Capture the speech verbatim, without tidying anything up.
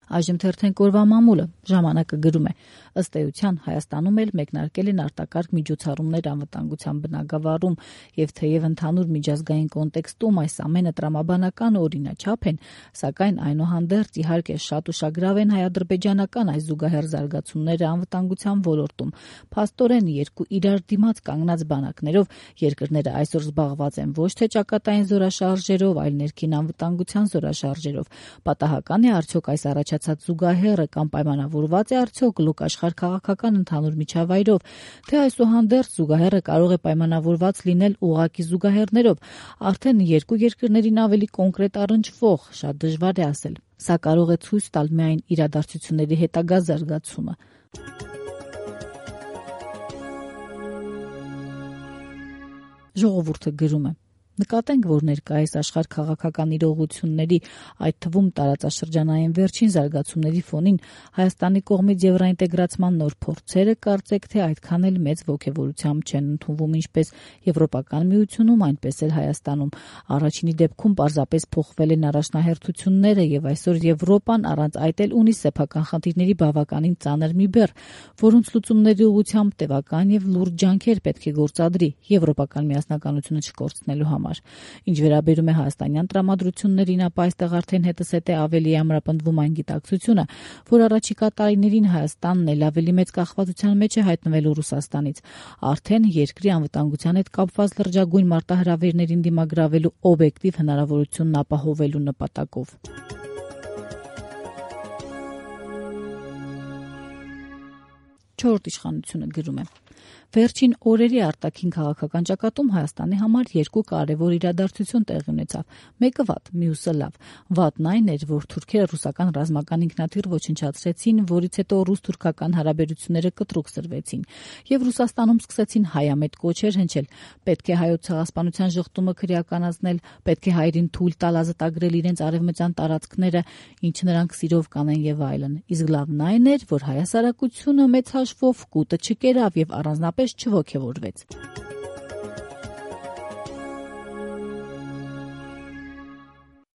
Այժմ թերթենք օրվա մամուլը, ժամանակը գրում է. ըստ էության Հայաստանում էլ մեկնարկել են արտակարգ միջոցառումներ անվտանգության բնագավառում, եւ թեև ընդհանուր միջազգային կոնտեքստում այս ամենը տրամաբանական ու օրինաչափ են, սակայն այնուհանդերձ իհարկե շատ ուշագրավ են հայ-ադրբեջանական այս զուգահեռ զարգացումները անվտանգության ոլորտում։ Փաստորեն երկու իրար դիմաց կանգնած բանակներով երկրները այսօր զբաղված են ոչ թե ճակատային զորաշարժերով, այլ ներքին անվտանգության զորաշարժերով։ Պատահական է արդյոք այս առաջացած զուգահեռը կամ պայմանավորված է արդյոք լոկ աշխարհ քաղաքական ընդհանուր միջավայրով, թե այսուհանդերձ զուգահեռը կարող է պայմանավորված լինել ուղղակի զուգահեռներով, արդեն երկու երկրներին ավելի կոնկրետ առնչվող, շատ դժվար է ասել։ Սա կարող է ցույց տալ միայն իրադարձությունների հետագա զարգացումը։ Ժողովուրդը գրում է. Նկատենք, որ ներկայիս աշխարհ քաղաքական իրողությունների, այդ թվում տարածաշրջանային վերջին զարգացումների ֆոնին Հայաստանի կողմից եվրոինտեգրացման նոր փորձերը կարծեք թե այդքան էլ մեծ ոգևորությամբ չեն ընդունվում ինչպես Եվրոպական միությունում, այնպես էլ Հայաստանում։ Առաջինի դեպքում պարզապես փոխվել են առաջնահերթությունները եւ այսօր Եվրոպան առանց այդ էլ ունի սեփական խնդիրների բավականին ծանր մի բեռ, որոնց լուծումների ուղղությամբ տևական եւ լուրջ ջանքեր պետք է գործադրի եվրոպական միասնականությունը չկորցնելու համար։ Ինչ վերաբերում է հայաստանյան տրամադրություններին, ապա այստեղ արդեն հետզհետե ավելի ամրապնդվում այն գիտակցությունը, որ առաջիկա տարիներին Հայաստանն էլ ավելի մեծ կախվածության մեջ է հայտնվելու Ռուսաստանից, արդեն երկրի անվտանգության հետ կապված լրջագույն մարտահրավերներին դիմագրավելու օբյեկտիվ հնարավորությունն ապահովելու նպատակով։ Չորրորդ իշխանությունը գրում է. Վերջին օրերի արտաքին քաղաքական ճակատում Հայաստանի համար երկու կարևոր իրադարձություն տեղի ունեցավ։ Մեկը վատ, մյուսը լավ։ Վատն այն էր, որ թուրքերը ռուսական ռազմական ինքնաթիռ ոչնչացրեցին, որից հետո ռուս-թուրքական հարաբերությունները կտրուկ սրվեցին, եւ Ռուսաստանում սկսեցին հայամետ կոչեր հնչել։ Պետք է հայոց ցեղասպանության ժխտումը քրեականացնել, պետք է հայերին թույլ տալ ազատագրել իրենց արևմտյան տարածքները, ինչ նրանք սիրով կանեն եւ այլն։ Իսկ լավն այն էր, որ հայ հասարակությունը մեծ հաշվով կուտը չկերավ եւ առանձնապես չոգևորվեց։